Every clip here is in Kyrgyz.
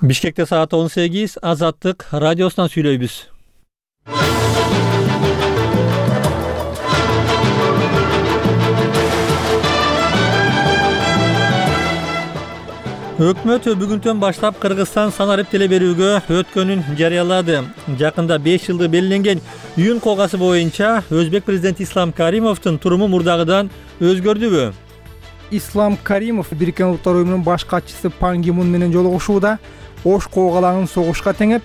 Бишкекте саат 18, Азаттык радиосунан сүйлөйбүз. Өкмөт бүгүндөн баштап Кыргызстан санарип теле берүүгө өткөнүн жарыялады. Жакында 5 жылды белгиленген үйүн когасы боюнча Өзбек президенти Ислам Каримовдун туруму мурдагыдан өзгөрдүбү? Ислам Каримов Бириккен Улуттар уюмунун баш катчысы Пан Ги Мун менен жолугушууда Ош коогалаңын согушка теңеп,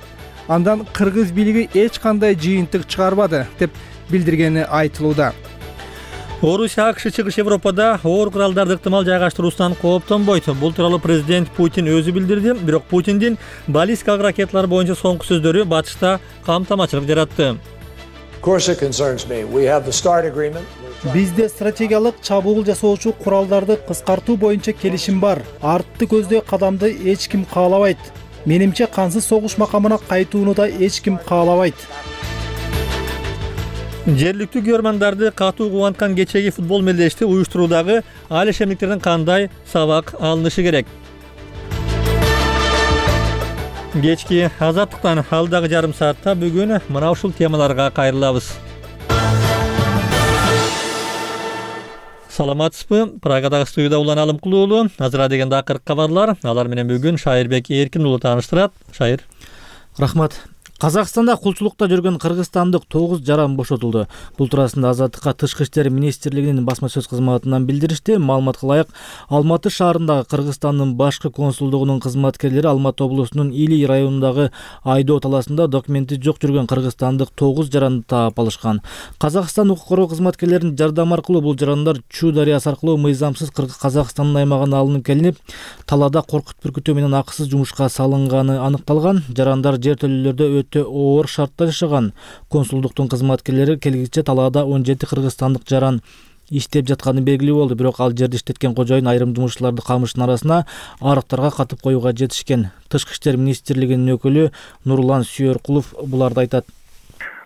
андан кыргыз бийлиги эч кандай жыйынтык чыгарбады деп билдиргени айтылууда. Орусия АКШ чыгыш Европада оор куралдарды ыктымал жайгаштыруусунан кооптонбойт. Бул тууралуу президент Путин өзү билдирди. Бирок Путиндин баллистикалык ракеталар боюнча соңку сөздөрү батышта камтамачылык жаратты. Бизде стратегиялык чабуул жасоочу куралдарды кыскартуу боюнча келишим бар. Артты көздөй кадамды эч ким каалабайт. Менимче кансыз согуш макамына кайтууну да эч ким каалабайт. Жергиликтүү көрмандарды катуу кубанткан кечеги футбол мелдешти уюштуруудагы али шемдиктерден кандай сабак алынышы керек? Кечки Азаттыктан алдагы жарым саатта бүгүн мына ушул темаларга кайрылабыз. Саламатсызбы? Прагадагы студияда Улан Алымкулуу уулу. Азыр дегенде акыркы кабарлар. Алар менен бүгүн Шайырбек Эркин уулу тааныштырат. Шайыр. Рахмат. Казакстанда кулчулукта жүргөн кыргызстандык 9 жаран бошотулду. Бул туурасында Азаттыкка Тышкы иштер министрлигинин басма сөз кызматынан билдиришти. Маалыматка ылайык, Алматы шаарындагы Кыргызстандын башкы консулдугунун кызматкерлери Алматы облусунун Илий районундагы Айдоо талаасында документи жок жүргөн кыргызстандык 9 жаранды таап алышкан. Казакстан укук коргоо кызматкерлеринин жардамы аркылуу бул жарандар Чу дарыясы аркылуу мыйзамсыз Казакстандын аймагына алынып келинип, талаада коркут бүркүтүү менен акысыз жумушка салынганы аныкталган. Жарандар жер төлөлөрдө оор шартта жашаган. Консулдуктун кызматкерлери келгиче талаада 17 кыргызстандык жаран иштеп жатканы белгилүү болду. Бирок ал жерди иштеткен кожоюн айрым жумушчуларды камыштын арасына арыктарга катып коюуга жетишкен. Тышкы иштер министрлигинин өкүлү Нурлан Сүйөркулов буларды айтат.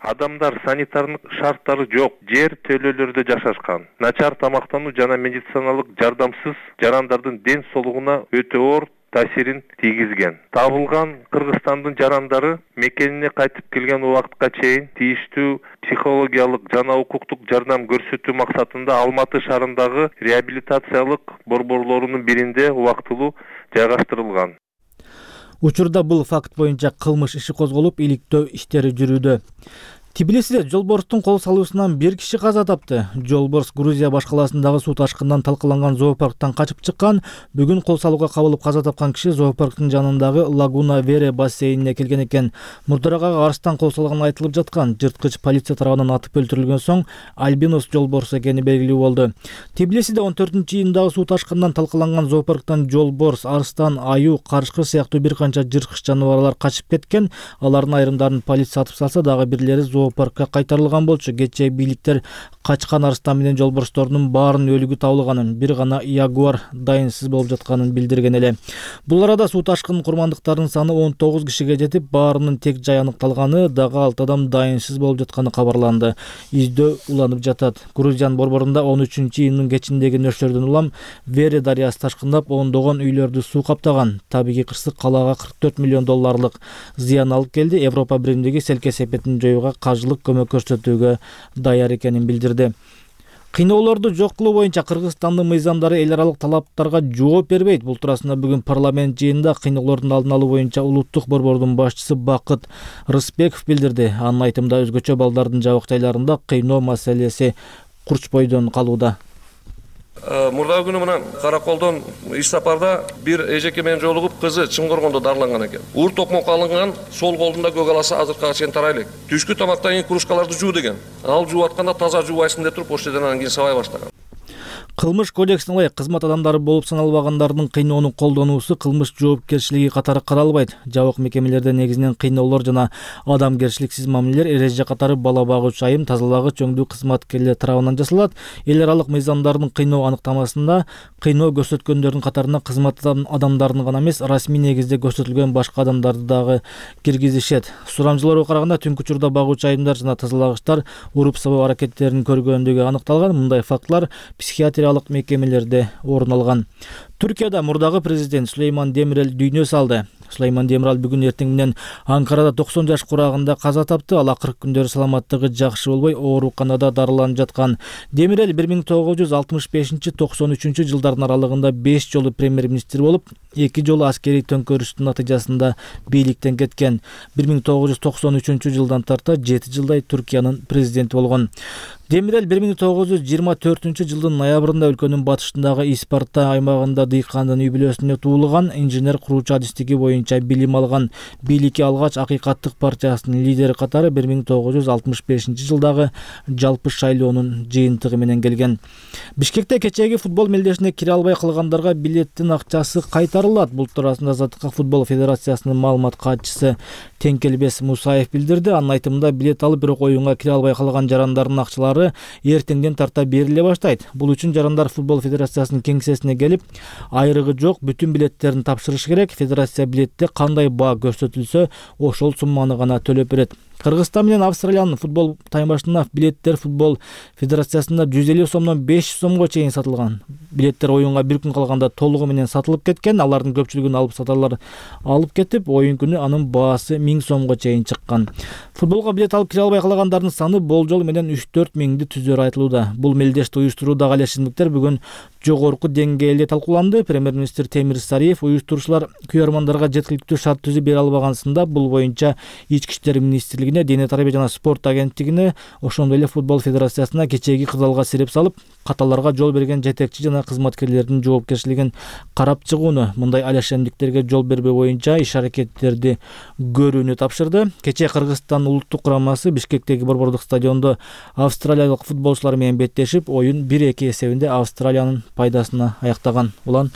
Адамдар санитардык шарттары жок жер төлөлөрдө жашашкан. Начар тамактануу жана медициналык жардамсыз жарандардын ден соолугуна өтө оор таасирин тийгизген. Табылган Кыргызстандын жарандары мекенине кайтып келген убакытка чейин тийиштүү психологиялык жана укуктук жардам көрсөтүү максатында Алматы шаарындагы реабилитациялык борборлорунун биринде убактылуу жайгаштырылган. Учурда бул факт боюнча кылмыш иши козголуп, иликтөө иштери жүрүүдө. Тбилисиде жолборстун кол салуусунан 1 киши каза тапты. Жолборс Грузия баш калаасындагы суу ташкынынан талкаланган зоопарктан качып чыккан. Бүгүн кол салууга кабылып каза тапкан киши зоопарктын жанындагы Лагуна Вере бассейнине келген экен. Мурдарага арстан кол салганы айтылып жаткан. Жырткыч полиция тарабынан атып өлтүрүлгөн соң альбинос жолборс экени белгилүү болду. Тбилисиде 14-июндагы суу ташкынынан талкаланган зоопарктан жолборс, арстан, аю, карышкыр сыяктуу бир канча жырткыч жаныбарлар качып кеткен. Алардын айрымдарын полиция атып салса, дагы бирлери зоопаркка кайтарылган болчу. Кечээ бийликтер качкан арстан менен жолборстордун баарын өлүгү табылганын, бир гана ягуар дайынсыз болуп жатканын билдирген эле. Бул арада суу ташкынын курмандыктарынын саны 19 кишиге жетип, баарынын тек жай аныкталганы, дагы 6 адам дайынсыз болуп жатканы кабарланды. Издөө уланып жатат. Грузиянын борборунда 13-июндун кечиндеги нөшөрдөн улам Вере дарыясы ташкындап, ондогон үйлөрдү суу каптаган. Табигый кырсык калаага 44 миллион долларлык зыян алып келди. Европа биримдиги сел кесепетин жоюуга кажылык көмөк көрсөтүүгө даяр экенин билдирди. Кыйноолорду жок кылуу боюнча Кыргызстандын мыйзамдары эл аралык талаптарга жооп бербейт. Бул туурасында бүгүн парламент жыйынында кыйноолордун алдын алуу боюнча улуттук борбордун башчысы Бакыт Рысбеков билдирди. Анын айтымында өзгөчө балдардын жабык жайларында кыйноо маселеси курчпойдон калууда. Мурдагы күнү мына Караколдон иш сапарда бир эжеке менен жолугуп, кызы Чынгоргондо дарыланган экен. Уур токмок алынган, сол колунда көк аласы азыркыга чейин тарай элек. Түшкү тамактан кийин кружкаларды жуу деген. Ал жууп атканда таза жуубайсың деп туруп, ошол жерден анан кийин сабай баштаган. Кылмыш кодексине ылайык кызмат адамдары болуп саналбагандардын кыйноонун колдонуусу кылмыш жоопкерчилиги катары каралбайт. Жабык мекемелерде негизинен кыйноолор жана адамгерчиликсиз мамилелер эреже катары бала багуучу айым, тазалагыч, өңдүү кызматкерлер тарабынан жасалат. Эл аралык мыйзамдардын кыйноо аныктамасында кыйноо көрсөткөндөрдүн катарына кызмат адамдарын гана эмес, расмий негизде көрсөтүлгөн башка адамдарды дагы киргизишет. Сурамжылоого караганда түнкү учурда багуучу айымдар жана тазалагычтар уруп сабоо аракеттерин көргөндүгү аныкталган. Мындай фактылар мекемелерде орун алган. Түркияда мурдагы президент Сулейман Демирел дүйнө салды. Сулайман Демирал бүгүн эртең менен Анкарада 90 жаш курагында каза тапты. Ал акыркы күндөрү саламаттыгы жакшы болбой, ооруканада дарыланып жаткан. Демирел 1965-93 жылдардын аралыгында 5 жолу премьер-министр болуп, 2 жолу аскерий төңкөрүштүн натыйжасында бийликтен кеткен. 1993 жылдан тарта 7 жылдай Түркиянын президенти болгон. Демирел 1924 жылдын ноябрында өлкөнүн батышындагы Испарта аймагында дыйкандын үй бүлөсүндө туулган, инженер куруучу адистиги боюнча билим алган. Бийликке алгач Акыйкаттык партиясынын лидери катары 1965 жылдагы жалпы шайлоонун жыйынтыгы менен келген. Бишкекте кечээги футбол мелдешине кире албай калгандарга билеттин акчасы кайтарылат. Бул туурасында Азаттыкка футбол федерациясынын маалымат катчысы Теңкелбес Мусаев билдирди. Анын айтымында билет алып, бирок оюнга кире албай калган жарандардын акчалары эртеңден тарта бериле баштайт. Бул үчүн жарандар футбол федерациясынын кеңсесине келип, айрыгы жок бүтүн билеттерин тапшырыш керек. Федерация билетте кандай баа көрсөтүлсө, ошол сумманы гана төлөп берет. Кыргызстан менен Австралиянын футбол таймашына билеттер футбол федерациясында 150 сомдон 500 сомго чейин сатылган. Билеттер оюнга бир күн калганда толугу менен сатылып кеткен. Алардын көпчүлүгүн алып сатарлар алып кетип, оюн күнү анын баасы 1000 сомго чейин чыккан. Футболго билет алып кире албай калгандардын саны болжол менен 3-4 миңди түзөрү айтылууда. Бул мелдешти уюштуруудагы алешсиздиктер бүгүн жогорку деңгээлде талкууланды. Премьер-министр Темир Сариев уюштуруучулар күйөрмандарга жеткиликтүү шарт түзүп бере албагансында бул боюнча Ички иштер министрлигине, Дене тарбия жана спорт агенттигине, ошондой эле футбол федерациясына кечээги кырдаалга себеп салып, каталарга жол берген жетекчи жана кызматкерлердин жоопкерчилигин карап чыгууну, мындай алешемдиктерге жол бербөө боюнча иш-аракеттерди көрүүнү тапшырды. Кечээ Кыргызстан улуттук курамасы Бишкектеги борбордук стадиондо австралиялык футболчулар менен беттешип, оюн 1-2 эсебинде Австралиянын пайдасына аяктаган. Улан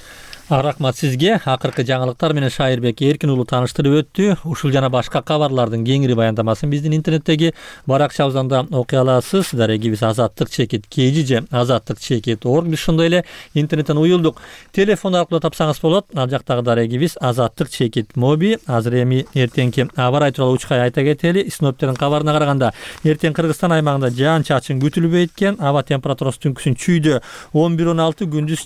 Рахмат сизге. Акыркы жаңылыктар менен Шайырбек Эркин уулу тааныштырып өттү. Ушул жана башка кабарлардын кеңири баяндамасын биздин интернеттеги баракчабыздан да окуй аласыз. Дарегибиз azattik-kg же azattik-org. Биз ошондой эле интернеттен уюлдук. Телефон аркылуу тапсаңыз болот. Ал жактагы дарегибиз azattik-mobi. Азыр эми эртеңки аба ырайы тууралуу учкай айта кетели. Синоптиктердин кабарына караганда, эртең Кыргызстан аймагында жаан-чачын күтүлбөйт экен. Аба температурасы түнкүсүн чүйдө 11-16, күндүз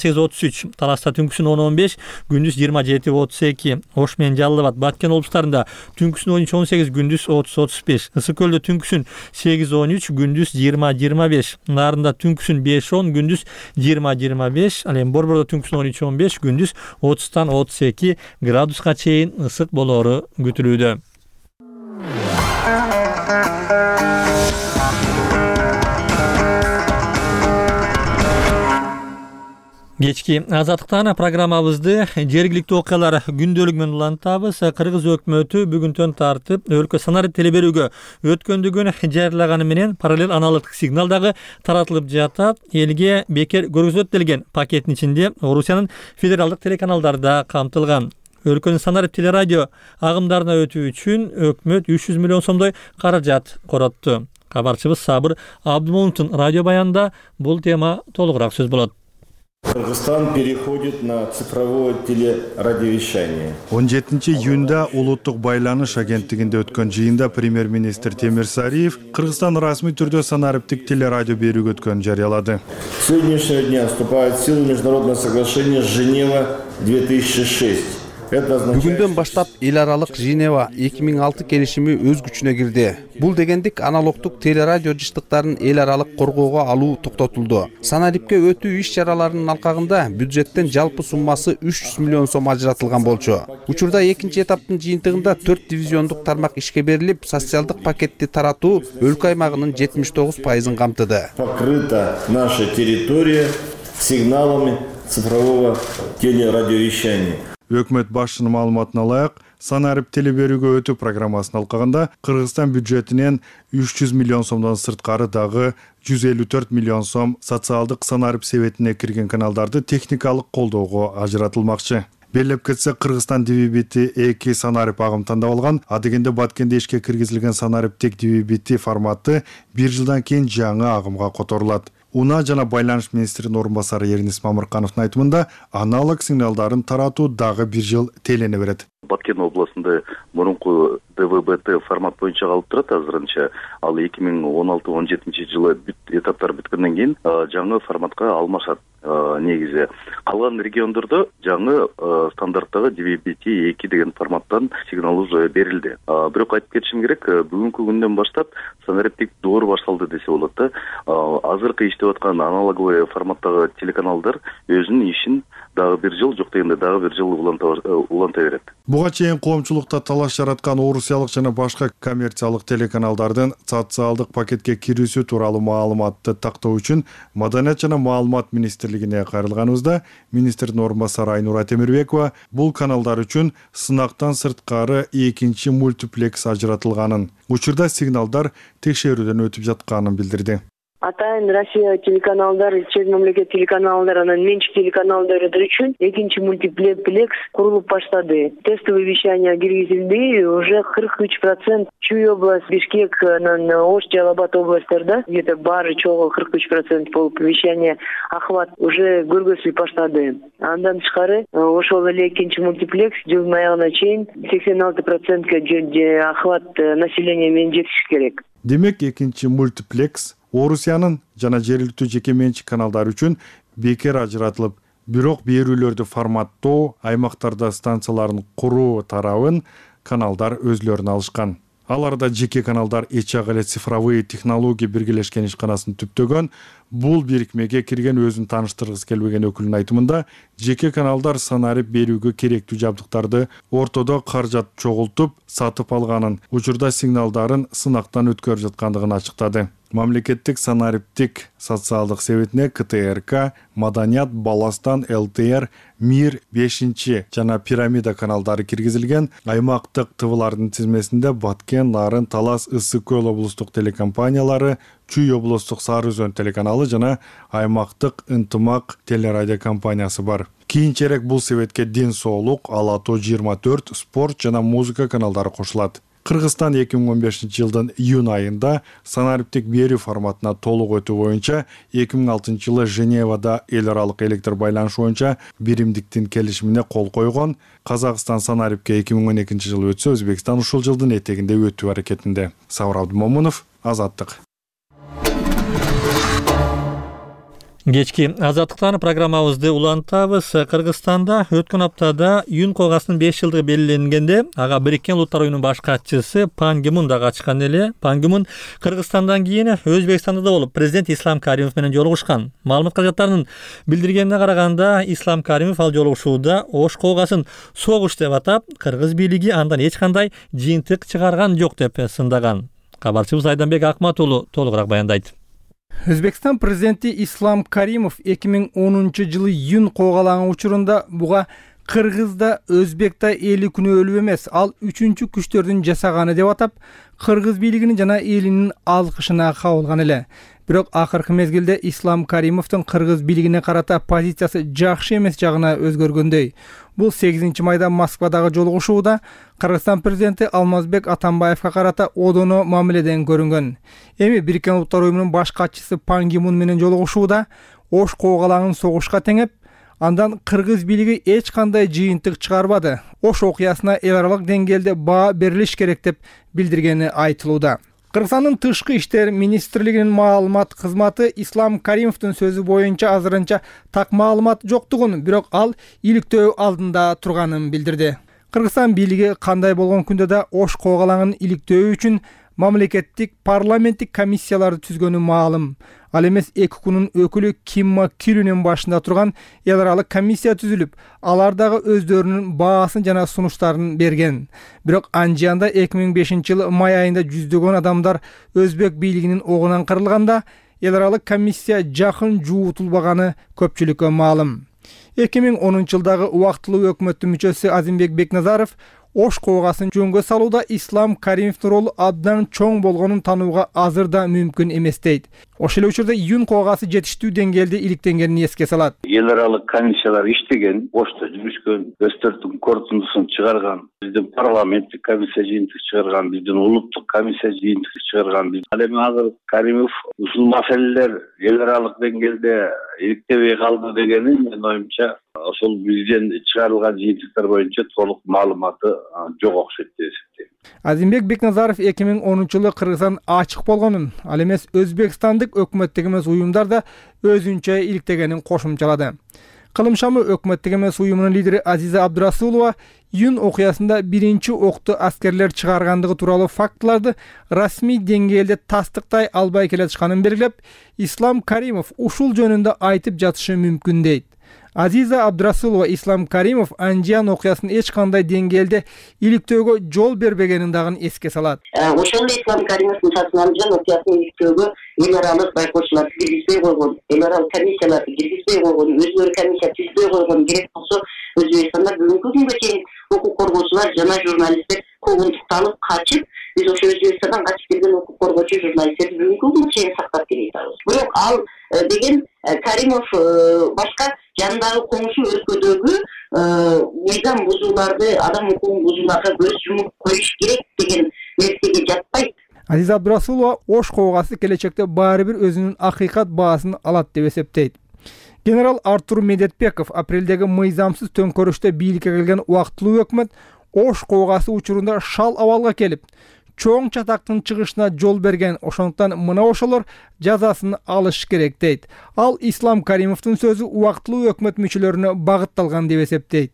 28-33, Тараста түнкүсүн 10-15, күндүз 27-32, Ош менен Жалал Абад, Баткен облустарында түнкүсүн 13-18, күндүз 30-35, Ысык көлдө түнкүсүн 8-13, күндүз 20-25, Нарында түнкүсүн 5-10, күндүз 20-25, ал эми Борбордо түнкүсүн 13-15, күндүз 30-32 градуска чейин ысык болоору күтүлүүдө. Кечки Азаттыктан программабызды жергиликтүү окуялар күндөлүгү менен улантабыз. Кыргыз өкмөтү бүгүнтөн тартып өлкө санарип телеберүүгө өткөндүгүн жарыялаганы менен параллел аналогдук сигнал дагы таратылып жатат. Элге бекер көргөзөт делген пакеттин ичинде Орусиянын федералдык телеканалдары да камтылган. Өлкөнүн санарип телерадио агымдарына өтүү үчүн өкмөт 300 миллион сомдой каражат коротту. Кабарчыбыз Сабыр Абдымомуновдун радио баянында бул тема толугураак сөз болот. Кыргызстан переходит на цифровое телерадиовещание. 17 июнда улуттук байланыш агенттигинде өткөн жыйында премьер-министр Темир Сариев Кыргызстан расмий түрдө санариптик телерадио берүүгө өткөнүн жарыялады. С сегодняшнего дня вступает в силу международное соглашение Женева 2006. Бүгүндөн баштап эл аралык Женева 2006 келишими өз күчүнө кирди. Бул дегендик аналогдук телерадио жыштыктарын эл аралык коргоого алуу токтотулду. Санарипке өтүү иш-чараларынын алкагында бюджеттен жалпы суммасы 300 миллион сом ажыратылган болчу. Учурда экинчи этаптын жыйынтыгында 4 дивизиондук тармак ишке берилип, социалдык пакетти таратуу өлкө аймагынын 79% камтыды. Покрыта наша территория сигналами цифрового телерадиовещания. Өкмөт башчынын маалыматына ылайык, санарип телеберүүгө өтүү программасынын алкагында Кыргызстан бюджетинен 300 миллион сомдон сырткары дагы 154 миллион сом социалдык санарип себетине кирген каналдарды техникалык колдоого ажыратылмакчы. Белеп кетсе, Кыргызстан DVB-T2 санарип агым тандап алган, а дегенде Баткенде ишке киргизилген санариптик DVB-T форматы 1 жылдан кийин жаңы агымга которулат. Унаа жана байланыш министринин орун басары Эрнис Мамыркановдун айтымында аналог сигналдарын таратуу дагы 1 жыл телене берет. Баткен областында мурунку ДВБТ формат боюнча калып турат азырынча. Ал 2016-17 жылы этаптар бүткөндөн кийин жаңы форматка алмашат. Негизи калган региондордо жаңы стандарттагы DVB-T2 деген форматтан сигнал уже берилди. Бирок айтып кетишим керек, бүгүнкү күндөн баштап санариптик доор башталды десе болот да. Азыркы иштеп аткан аналоговый форматтагы телеканалдар өзүнүн ишин дагы бир жыл, жок дегенде дагы бир жыл уланта берет. Буга чейин коомчулукта талаш жараткан орусиялык жана башка коммерциялык телеканалдардын социалдык пакетке кирүүсү тууралуу маалыматты тактоо үчүн Маданият жана маалымат министрлигине кайрылганыбызда министрдин орун басары Айнура Темирбекова бул каналдар үчүн сынактан сырткары экинчи мультиплекс ажыратылганын, учурда сигналдар текшерүүдөн өтүп жатканын билдирди. Атайын Россия телеканалдар, чет мамлекет телеканалдар, анан менчик телеканалдар үчүн экинчи мультиплекс курулуп баштады. Тестовый вещание киргизилди, уже 43% Чуй область, Бишкек, анан Ош, Жалал-Абад областьтарда где-то баары чогуу 43% болуп вещание охват уже көргөзүлүп баштады. Андан тышкары ошол эле экинчи мультиплекс жылдын аягына чейин 86% охват населения менен жетиши керек. Демек экинчи мультиплекс Орусиянын жана жергиликтүү жеке менчик каналдар үчүн бекер ажыратылып, бирок берүүлөрдү форматтоо, аймактарда станцияларын куруу тарабын каналдар өзлөрүнө алышкан. Аларда жеке каналдар эч эле цифровые технология биргелешкен ишканасын түптөгөн. Бул бирикмеге кирген өзүн тааныштыргысы келбеген өкүлдүн айтымында, жеке каналдар санарип берүүгө керектүү жабдыктарды ортодо каражат чогултуп сатып алганын, учурда сигналдарын сынактан өткөрүп жаткандыгын ачыктады. Мамлекеттик санариптик социалдык советине КТРК, Маданият, Баластан, ЛТР, Мир 5 жана Пирамида каналдары киргизилген. Аймактык ТВлардын тизмесинде Баткен, Нарын, Талас, Ысык Көл облустук телекомпаниялары, Чуй облустук Сары Өзөн телеканалы жана аймактык Ынтымак телерадио компаниясы бар. Кийинчерээк бул советке Ден соолук, Ала тоо 24, спорт жана музыка каналдары кошулат. Кыргызстан 2015 жылдын июнь айында санариптик берүү форматына толук өтүү боюнча 2006 жылы Женевада эл аралык электр байланыш боюнча биримдиктин келишимине кол койгон. Казакстан санарипке 2012 жылы өтсө, Өзбекстан ушул жылдын этегинде өтүү аракетинде. Сабыр Абдымомунов, Азаттык. Кечки Азаттыктан программабызды улантабыз. Кыргызстанда өткөн аптада Юн койгасынын 5 жылдыгы белгиленгенде, ага Бириккен Улуттар уюмунун баш катчысы Пан Ги Мун да катышкан эле. Пан Ги Мун Кыргызстандан кийин Өзбекстанда да болуп, президент Ислам Каримов менен жолугушкан. Маалымат кызматтарынын билдиргенине караганда, Ислам Каримов ал жолугушууда Ош койгасын согуш деп атап, кыргыз бийлиги андан эч кандай жыйынтык чыгарган жок деп сындаган. Кабарчыбыз Айданбек Акмат уулу толугураак баяндайт. Өзбекстан президенти Ислам Каримов 2010 жылы Юн койгалаган учурунда буга Кыргызда Өзбекта эли күнөөлүү эмес, ал үчүнчү күчтөрдүн жасаганы деп атап, кыргыз бийлигинин жана элинин алкышына кабылган эле. Бирок акыркы мезгилде Ислам Каримовдун кыргыз бийлигине карата позициясы жакшы эмес жагына өзгөргөндөй. Бул 8 майда Москвадагы жолугушууда Кыргызстан президенти Алмазбек Атамбаевга карата одоно мамиледен көрүнгөн. Эми Бириккен Улуттар уюмунун баш катчысы Пан Ги Мун менен жолугушууда Ош койгалагын согушка теңеп, андан кыргыз бийлиги эч кандай жыйынтык чыгарбады. Ош окуясына эл аралык деңгээлде баа берилиш керек деп билдиргени айтылууда. Кыргызстандын тышкы иштер министрлигинин маалымат кызматы Ислам Каримовдун сөзү боюнча азырынча так маалымат жоктугун, бирок ал иликтөө алдында турганын билдирди. Кыргызстан бийлиги кандай болгон күндө да Ош койгалагын иликтөө үчүн мамлекеттик парламенттик комиссияларды түзгөнү маалым. Ал эмес 2 күнүн өкүлү Кимма Кирүнүн башында турган эл аралык комиссия түзүлүп, алар дагы өздөрүнүн баасын жана сунуштарын берген. Бирок анжыянда 2005 жылы май айында жүздөгөн адамдар өзбек бийлигинин огунан кырылганда, эл аралык комиссия жакын жуутулбаганы көпчүлүккө маалым. 2010 жылдагы убактылуу өкмөттүн мүчөсү Азимбек Бекназаров Ош койгасын жөнгө салууда Ислам Каримовдун ролу абдан чоң болгонун таанууга азыр да мүмкүн эмес дейт. Ошол эле учурда Юн койгасы жетиштүү деңгээлде иликтенгенин эске салат. Эл аралык комиссиялар иштеген, Ошто жүрүшкөн, өздөрүнүн корутундусун чыгарган, биздин парламенттик комиссия жыйынтык чыгарган, биздин улуттук комиссия жыйынтык чыгарган. Ал эми азыр Каримов ушул маселелер эл аралык деңгээлде иликтебей калды дегени менин оюмча ошол бизден чыгарылган жыйынтыктар боюнча толук маалыматы жок окшойт деп эсептейм. Азимбек Бекназаров 2010-жылы Кыргызстан ачык болгонун, ал эмес Өзбекстандык өкмөттүк эмес уюмдар да өзүнчө иликтегенин кошумчалады. Кылым шамы өкмөттүк эмес уюмунун лидери Азиза Абдурасулова июнь окуясында биринчи окту аскерлер чыгаргандыгы тууралуу фактыларды расмий деңгээлде тастыктай албай келатышканын белгилеп, Ислам Каримов ушул жөнүндө айтып жатышы мүмкүн дейт. Азиза Абдурасулова Ислам Каримов Анжиян окуясын эч кандай деңгээлде иликтөөгө жол бербегенин дагы эске салат. Ошондо Ислам Каримовдун Анжиян окуясын иликтөөгө эл аралык байкоочулар киргизбей койгон, эл аралык комиссияларды киргизбей койгон, өзүлөрү комиссия түзбөй койгон, керек болсо Өзбекстанда бүгүнкү күнгө чейин укук коргоочулар жана журналисттер куугунтукталып качып, биз ошо Өзбекстандан качып келген укук коргоочу журналисттерди бүгүнкү күнгө чейин сактап келатабыз. Бирок ал деген Каримов башка жанындагы коңшу өлкөдөгү мыйзам бузууларды, адам укугун бузууларга көз жумуп коюш керек деген нерсеге жатпайт. Азиза Абдурасулова Ош коогасы келечекте баары бир өзүнүн акыйкат баасын алат деп эсептейт. Генерал Артур Медетбеков апрелдеги мыйзамсыз төңкөрүштө бийликке келген убактылуу өкмөт Ош коогасы учурунда шал абалга келип, чоң чатактын чыгышына жол берген, ошондуктан мына ошолор жазасын алыш керек дейт. Ал Ислам Каримовдун сөзү убактылуу өкмөт мүчөлөрүнө багытталган деп эсептейт.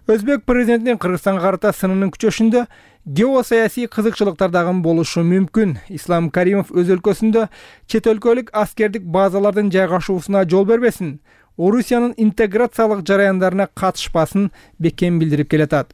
Өзбек президентинин Кыргызстанга карата сынынын күчөшүндө геосаясий кызыкчылыктар дагы болушу мүмкүн. Ислам Каримов өз өлкөсүндө чет өлкөлүк аскердик базалардын жайгашуусуна жол бербесин, Орусиянын интеграциялык жараяндарына катышпасын бекем билдирип келатат.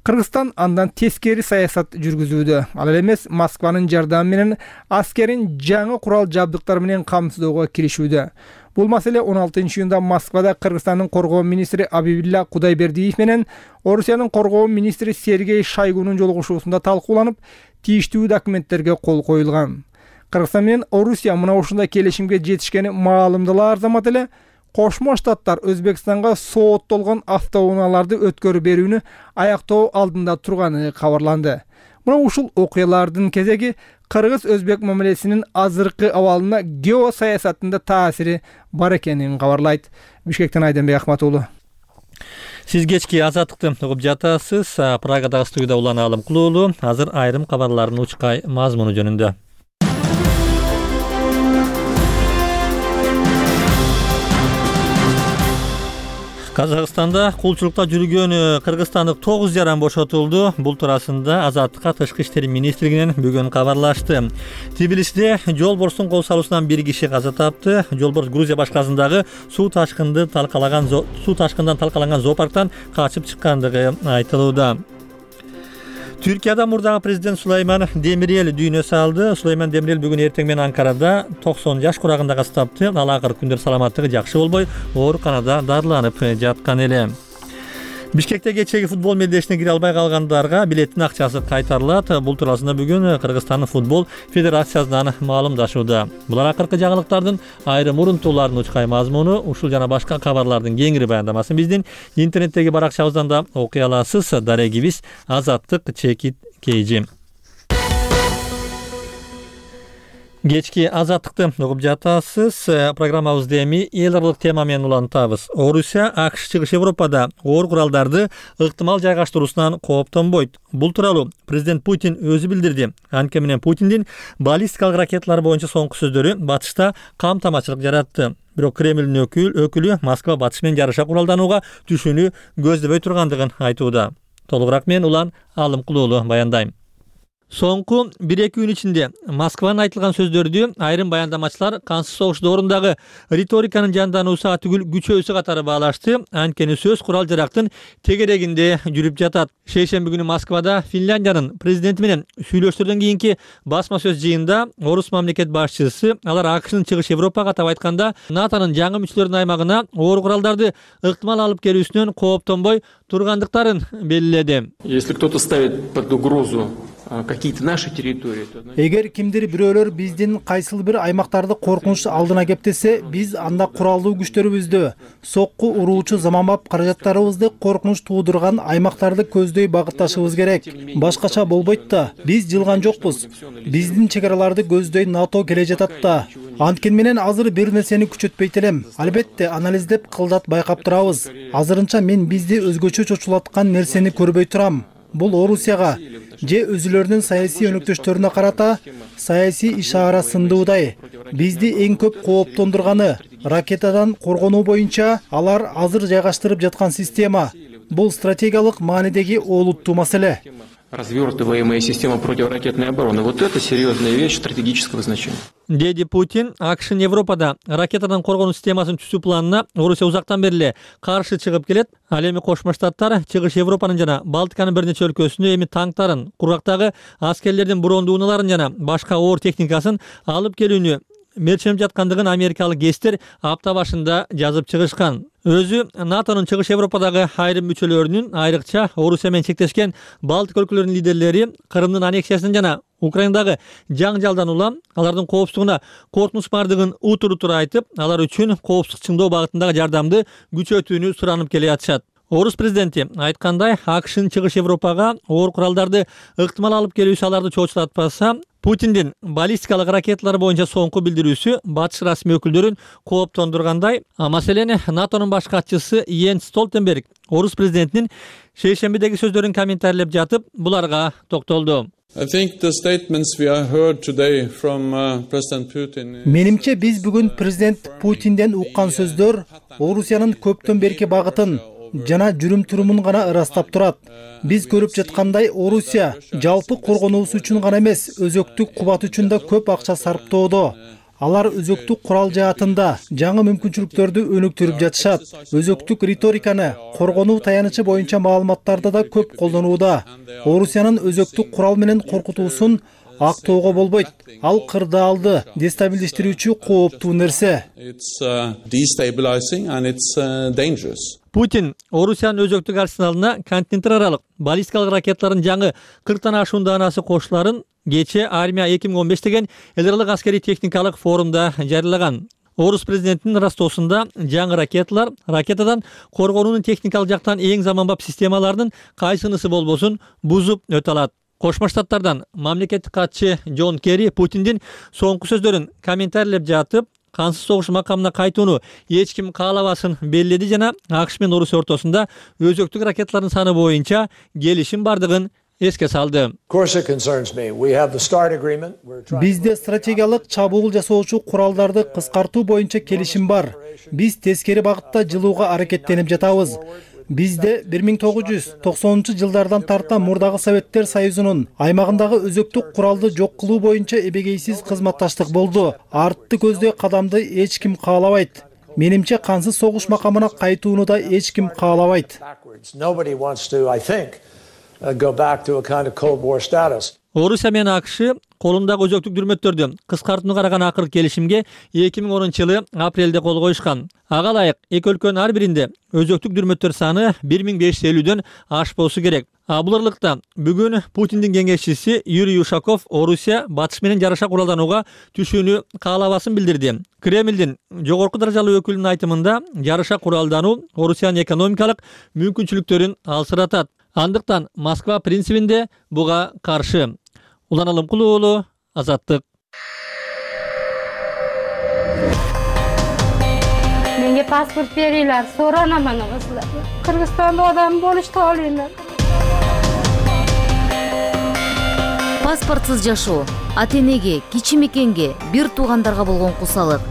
Кыргызстан андан тескери саясат жүргүзүүдө. Ал эмес Москванын жардамы менен аскерин жаңы курал жабдыктар менен камсыздоого киришүүдө. Бул маселе 16-июнда Москвада Кыргызстандын коргоо министри Абибилла Кудайбердиев менен Орусиянын коргоо министри Сергей Шойгунун жолугушуусунда талкууланып, тийиштүү документтерге кол коюлган. Кыргызстан менен Орусия мына ушундай келишимге жетишкени маалымдалаар замат эле Кошмо Штаттар Өзбекстанга сооттолгон автоунааларды өткөрүп берүүнү аяктоо алдында турганы кабарланды. Мына ушул окуялардын кезеги Кыргыз-Өзбек мамилесинин азыркы абалына геосаясатында таасири бар экенин кабарлайт. Бишкектен Айденбек Ахматуулу. Сиз кечки Азаттыкты угуп жатасыз. Прагадагы студияда Улан Алымкулуулу. Азыр айрым кабарлардын учкай мазмуну жөнүндө. Казакстанда кулчулукта жүргөн кыргызстандык 9 жаран бошотулду. Бул туурасында Азаттыкка Тышкы иштер министрлигинен бүгүн кабарлашты. Тбилисиде жолборстун кол салуусунан бир киши каза тапты. Жолборс Грузия башкаласындагы суу ташкындан талкаланган зоопарктан качып чыккандыгы айтылууда. Түркияда мурдагы президент Сулайман Демирел дүйнө салды. Сулайман Демирел бүгүн эртең менен Анкарада 90 жаш курагында каза тапты. Ал акыркы күндөр саламаттыгы жакшы болбой, ооруканада дарыланып жаткан эле. Бишкекте кечеги футбол медешине кире албай калгандарга билеттин акчасы кайтарылат. Бул туурасында бүгүн Кыргызстандын футбол федерациясынан маалымдашууда. Булар акыркы жаңылыктардын айрым урунтууларынын учкай мазмуну. Ушул жана башка кабарлардын кеңири баяндамасын биздин интернеттеги баракчабыздан да окуй аласыз. Дарегибиз Азаттык _KG. Кечки Азаттыкты угуп жатасыз. Программабызды эми эл аралык тема менен улантабыз. Орусия АКШ чыгыш Европада оор куралдарды ыктымал жайгаштыруусунан кооптонбойт. Бул тууралуу президент Путин өзү билдирди. Анткени менен Путиндин баллистикалык ракеталар боюнча соңку сөздөрү батышта камтамачылык жаратты. Бирок Кремлдин өкүлү Москва батыш менен жараша куралданууга түшүүнү көздөбөй тургандыгын айтууда. Толугураак мен Улан Алымкулуулу баяндайм. Соңку 1-2 күн ичинде Москванын айтылган сөздөрдү айрым баяндамачылар кансыз согуш доорундағы риториканын жандануусу түгүл күчөөсү катары баалашты. Анткени сөз курал жарактын тегерегинде жүрүп жатат. Шейшемби күнү Москвада Финляндиянын президенти менен сүйлөштөрдөн кийинки басма сөз жыйында орус мамлекет башчысы алар АКШнын чыгыш Европага атап айтканда НАТОнун жаңы мүчөлөрүнүн аймагына оор куралдарды ыктымал алып келүүсүнөн кооптонбой тургандыктарын белгиледи. Если кто-то ставит под угрозу какие-то наши территории. Эгер кимдир бирөөлөр биздин кайсыл бир аймактарды коркунуч алдына кептесе, биз анда куралдуу күчтөрүбүздү, сокку уруучу заманбап каражаттарыбызды коркунуч туудурган аймактарды көздөй багытташыбыз керек. Башкача болбойт да. Биз жылган жокпуз. Биздин чек араларды көздөй НАТО келе жатат да. Анткени менен азыр бир нерсени күчөтпөйт элем. Албетте анализдеп кылдат байкап турабыз. Азырынча мен бизди өзгөчө чочулаткан нерсени көрбөй турам. Бул Орусияга же өзүлөрүнүн саясий өнөктөштөрүнө карата саясий ишара сындуудай. Бизди эң көп кооптондурганы ракетадан коргонуу боюнча алар азыр жайгаштырып жаткан система. Бул стратегиялык маанидеги олуттуу маселе. Развертываемая система противоракетной обороны. Вот это серьезная вещь стратегического значения. Деди Путин, акшын Европада ракетадан коргонуу системасын түзүү планына Орусия узактан бери эле каршы чыгып келет. Ал эми Кошмо Штаттар Чыгыш Европанын жана Балтиканын бир нече өлкөсүнө эми танктарын, кургактагы аскерлердин брондуу унааларын жана башка оор техникасын алып келүүнү мерчиленип жаткандыгын америкалык гесттер апта башында жазып чыгышкан. Өзү НАТОнун Чыгыш Европадагы айрым мүчөлөрүнүн, айрыкча Орусия менен чектешкен Балтик өлкөлөрүнүн лидерлери Крымдын аннексиясын жана Украинадагы жаңжалдан улам алардын коопсуздугуна коркунуч бардыгын утур айтып, алар үчүн коопсуздук чыңдоо багытындагы жардамды күчөтүүнү суранып келе жатышат. Орус президенти айткандай, акшын Чыгыш Европага оор куралдарды ыктымал алып келүүсү аларды чоочулатпаса, Путиндин баллистикалык ракеталар боюнча соңку билдирүүсү батыш расмий өкүлдөрүн кооптондургандай. Маселени НАТОнун баш катчысы Йенс Столтенберг Орус президентинин шейшембидеги сөздөрүн комментарийлеп жатып, буларга токтолду. Менимче биз бүгүн президент Путинден уккан сөздөр Орусиянын көптөн берки багытын жана жүрүм-турумун гана ырастап турат. Биз көрүп жаткандай Орусия жалпы коргонуусу үчүн гана эмес, өзөктүк кубат үчүн да көп акча сарптоодо. Алар өзөктүк курал жаатында жаңы мүмкүнчүлүктөрдү өнүктүрүп жатышат. Өзөктүк риториканы, коргонуу таянычы боюнча маалыматтарды да көп колдонууда. Орусиянын өзөктүк курал менен коркутуусун актоого болбойт. Ал кырдаалды дестабилдештирүүчү кооптуу нерсе. Путин Орусиянын өзөктүк арсеналына континенттер аралык баллистикалык ракеталардын жаңы 40 ашуун даанасы кошуларын кечээ Армия 2015 деген эл аралык аскерий техникалык форумда жарыялаган. Орус президентинин Ростосунда жаңы ракеталар ракетадан коргонуунун техникалык жактан эң заманбап системаларынын кайсынысы болбосун бузуп өтө алат. Кошмо Штаттардан мамлекеттик катчы Джон Керри Путиндин соңку сөздөрүн комментарийлеп жатып, кансыз согуш макамына кайтууну эч ким каалабасын белгиледи жана АКШ менен Орусия ортосунда өзөктүк ракеталардын саны боюнча келишим бардыгын эске салды. Бизде стратегиялык чабуул жасоочу куралдарды кыскартуу боюнча келишим бар. Биз тескери багытта жылууга аракеттенип жатабыз. Бизде 1990-жылдардан тарта мурдагы Советтер Союзунун аймагындагы өзөктүк куралды жок кылуу боюнча эбегейсиз кызматташтык болду. Артты көздөй кадамды эч ким каалабайт. Менимче кансыз согуш макамына кайтууну да эч ким каалабайт. Орусия менен АКШ колундагы өзөктүк дүрмөттөрдү кыскартууга караган акыркы келишимге 2010-жылы апрелде кол коюшкан. Ага ылайык эки өлкөнүн ар биринде өзөктүк дүрмөттөр саны 1550-дөн ашпосу керек. Бул ырлыкта бүгүн Путиндин кеңешчиси Юрий Ушаков Орусия батыш менен жараша куралданууга түшүүнү каалабасын билдирди. Кремлдин жогорку даражалуу өкүлүнүн айтымында жараша куралдануу Орусиянын экономикалык мүмкүнчүлүктөрүн алсыратат. Андыктан Москва принцибинде буга каршы. Улан Алымкулуу уулу, Азаттык. Менге паспорт берийлер, соранаман кызлар. Кыргызстанда адам болушту алыймын. Паспортсыз жашоо, ата-энеге, кичи мекенге, бир туугандарга болгон кусалык,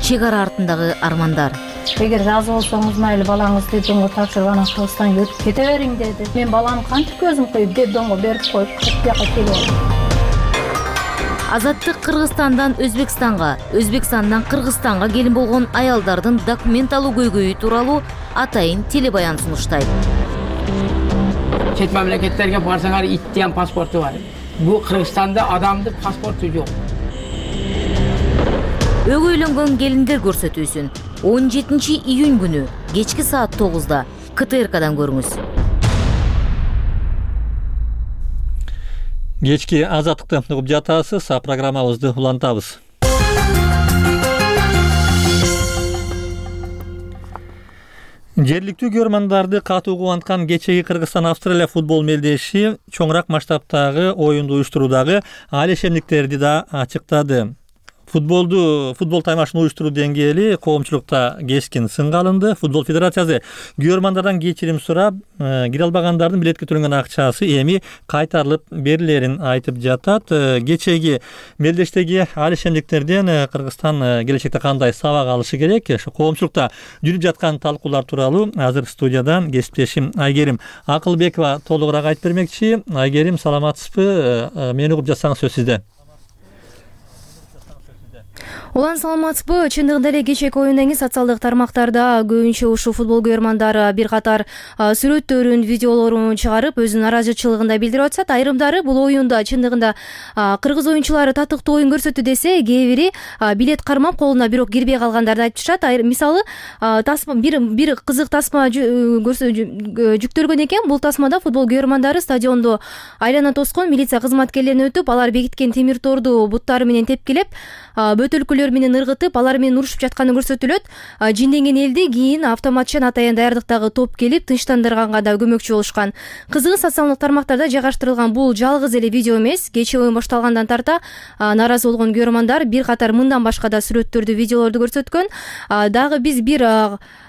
чек ара артындагы армандар. Эгер разы болсоңуз майлы балаңызды детдомго тапшырып анан Кыргызстанга өтүп кете бериң деди. Мен баламды кантип көзүм коюп детдомго берип коюп бияка келем. Азаттык Кыргызстандан Өзбекстанга, Өзбекстандан Кыргызстанга келин болгон аялдардын документ алуу көйгөйү тууралуу атайын телебаян сунуштайт. Чет мамлекеттерге барсаңар иттен паспорту бар. Бул Кыргызстанда адамдын паспорту жок. Өгөйлөнгөн келиндер көрсөтүүсүн 17-июнь күнү кечки саат 9-да КТРКдан көрүңүз. Кечки Азаттыкты угуп жатасыз, программабызды улантабыз. Жергиликтүү көрөрмандарды катуу кубанткан кечеги Кыргызстан-Австралия футбол мелдеши чоңураак масштабтагы оюнду уюштуруудагы алешемдиктерди да ачыктады. Футбол таймашын уюштуруу деңгээли коомчулукта кескин сынга алынды. Футбол федерациясы күйөрмандардан кечирим сурап, кире албагандардын билетке төлөнгөн акчасы эми кайтарылып берилерин айтып жатат. Кечеги мелдештеги алишемдиктерден Кыргызстан келечекте кандай сабак алышы керек? Ошо коомчулукта жүрүп жаткан талкуулар тууралуу азыр студиядан кесиптешим Айгерим Акылбекова толугураак айтып бермекчи. Айгерим, саламатсызбы? Мени угуп жатсаңыз сөз сизде. Улан, саламатсызбы? Чындыгында эле кечээки оюндан кийин социалдык тармактарда көбүнчө ушул футбол көрөрмандары бир катар сүрөттөрүн, видеолорун чыгарып, өзүнүн наразычылыгын да билдирип атышат. Айрымдары бул оюнда чындыгында кыргыз оюнчулары татыктуу оюн көрсөттү десе, кээ бири билет кармап колуна бирок кирбей калгандарды айтып жатышат. Мисалы, тасма бир кызык тасма жүктөлгөн экен. Бул тасмада футбол көрөрмандары стадионду айлана тоскон милиция кызматкерлерин өтүп, алар бекиткен темир торду буттары менен тепкилеп, бөтөлкөлөр менен ыргытып, алар менен урушуп жатканы көрсөтүлөт. Жинденген элди кийин автоматчан атайын даярдыктагы топ келип тынчтандырганга да көмөкчү болушкан. Кызыгы, социалдык тармактарда жайгаштырылган бул жалгыз эле видео эмес. Кечээ оюн башталгандан тарта нааразы болгон көрөрмандар бир катар мындан башка да сүрөттөрдү, видеолорду көрсөткөн. Дагы биз бир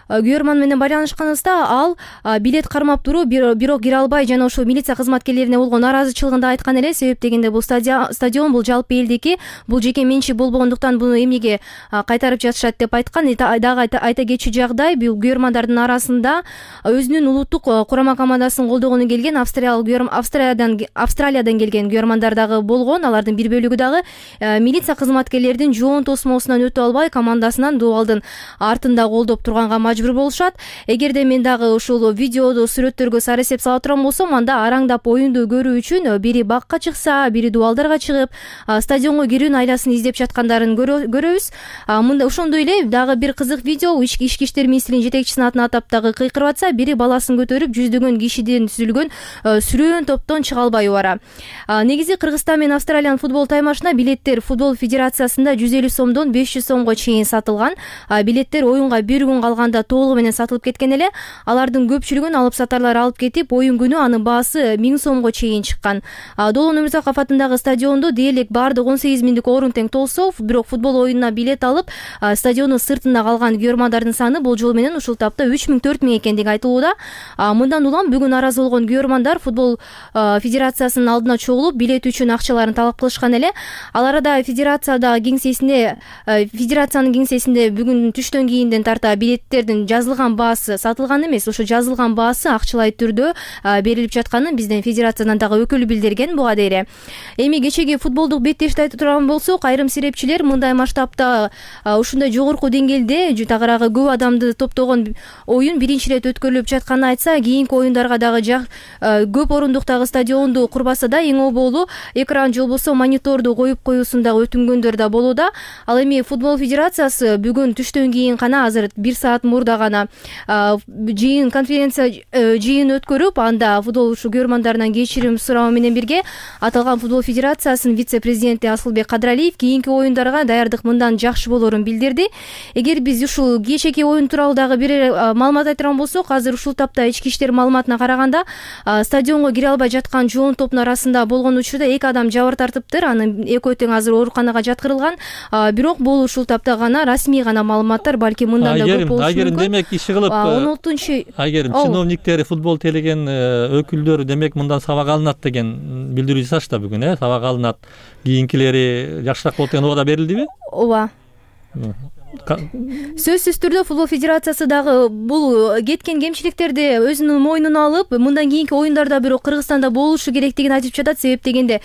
көрөрман менен байланышканыбызда ал билет кармап туруу бирок кире албай жана ошол милиция кызматкерлерине болгон нааразычылыгын да айткан эле. Себеп дегенде бул стадион бул жалпы элдики, бул жеке менчик болбогондуктан буну эмнеге кайтарып жатышат деп айткан. Дагы айта кетчү жагдай, бул көрөрмандардын арасында өзүнүн улуттук курама командасын колдогону келген Австралиядан келген көрөрмандар дагы болгон. Алардын бир бөлүгү дагы милиция кызматкерлеринин жоон тосмосунан өтүп албай командасынан дубалдын артында колдоп турганга мажбур болушат. Эгерде мен дагы ушул видеоду, сүрөттөргө сары эсеп сала турган болсом, анда араңдап оюнду көрүү үчүн бири бакка чыкса, бири дубалдарга чыгып, стадионго кирүүнүн айласын издеп жаткандарын көрөбүз. Мында ошондой эле дагы бир кызык видео, ички иштер министринин жетекчисинин атын атап дагы кыйкырып атса, бири баласын көтөрүп жүздөгөн кишиден түзүлгөн сүрөөн топтон чыга албай бара. Негизи Кыргызстан менен Австралиянын футбол таймашына билеттер футбол федерациясында 150 сомдон 500 сомго чейин сатылган. Билеттер оюнга бир күн калганда толугу менен сатылып кеткен эле. Алардын көпчүлүгүн алып сатарлар алып кетип, оюн күнү анын баасы 1000 сомго чейин чыккан. Долон Өмүрзаков атындагы стадиондо дээрлик баардык 18 миңдик орун тең толсо, бирок футбол оюнуна билет алып, стадиондун сыртында калган көрөрмандардын саны бул жолу менен ушул тапта 3000-4000 экендиги айтылууда. Мындан улам бүгүн наразы болгон көрөрмандар футбол федерациясынын алдына чогулуп, билет үчүн акчаларын талап кылышкан эле. Ал арада федерациянын кеңсесинде бүгүн түштөн кийинден тарта билеттердин жазылган баасы сатылган эмес, ошо жазылган баасы акчалай түрдө берилип жатканын биздин федерациядан дагы өкүлү билдирген буга дейре. Эми кечеги футболдук беттешти айтып турган болсок, айрым серепчилер мындай масштабта ушундай жогорку деңгээлде тагыраагы көп адамды топтогон оюн биринчи ирет өткөрүлүп жатканын айтса, кийинки оюндарга дагы көп орундуктагы стадионду курбаса да эң оболу экран же болбосо мониторду коюп коюусун дагы өтүнгөндөр да болууда. Ал эми футбол федерациясы бүгүн түштөн кийин гана, азыр 1 саат мурда гана конференция жыйын өткөрүп, анда футбол көрөрмандарынан кечирим суроо менен бирге аталган футбол федерациясынын вице-президенти Асылбек Кадыралиев кийинки оюндарга даярдык мындан жакшы болорун билдирди. Эгер биз ушул кечээки оюн тууралуу дагы бир маалымат айтырган болсок, азыр ушул тапта ички иштер маалыматына караганда стадионго кире албай жаткан жоон топтун арасында болгон учурда 2 адам жабыр тартыптыр. Анын экөө тең азыр ооруканага жаткырылган. Бирок бул ушул тапта гана расмий гана маалыматтар, балки мындан да көп болушу мүмкүн. Демек иши кылып 16 Айгерим, чиновниктер, футбол тейлеген өкүлдөр демек мындан сабак алынат деген билдирүү жасашты бүгүн, сабак алынат. Кийинкилери жакшыраак болот деген убада берилдиби? Ооба. Сөзсүз түрдө футбол федерациясы дагы бул кеткен кемчиликтерди өзүнүн мойнуна алып, мындан кийинки оюндарда бирок Кыргызстанда болушу керектигин айтып жатат. Себеп дегенде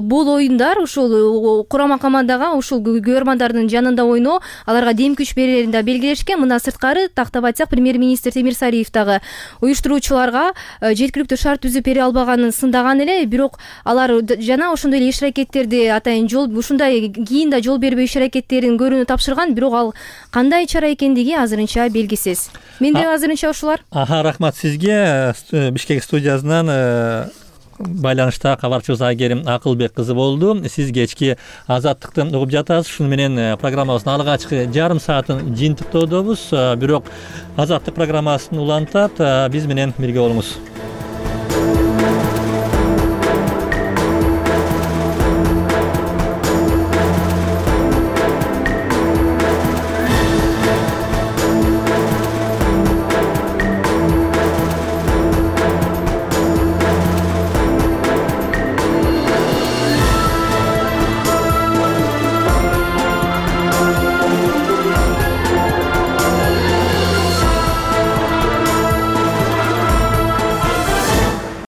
бул оюндар ушул курама командага, ушул көрөрмандардын жанында ойноо, аларга дем күч берерин да белгилешкен. Мындан сырткары тактап айтсак, премьер-министр Темир Сариев дагы уюштуруучуларга жеткиликтүү шарт түзүп бере албаганын сындаган эле. Бирок алар жана ошондой эле иш аракеттерди атайын ушундай кийин да жол бербей иш аракеттерин көрүүнү тапшырган. Бирок кандай чара экендиги азырынча белгисиз. Менде азырынча ушулар. Рахмат сизге. Бишкек студиясынан байланышта кабарчыбыз Айгерим Акылбек кызы болду. Сиз кечки Азаттыкты угуп жатасыз. Шуну менен программабыздын алгачкы жарым саатын жыйынтыктоодобуз. Бирок Азаттык программасын улантат, биз менен бирге болуңуз.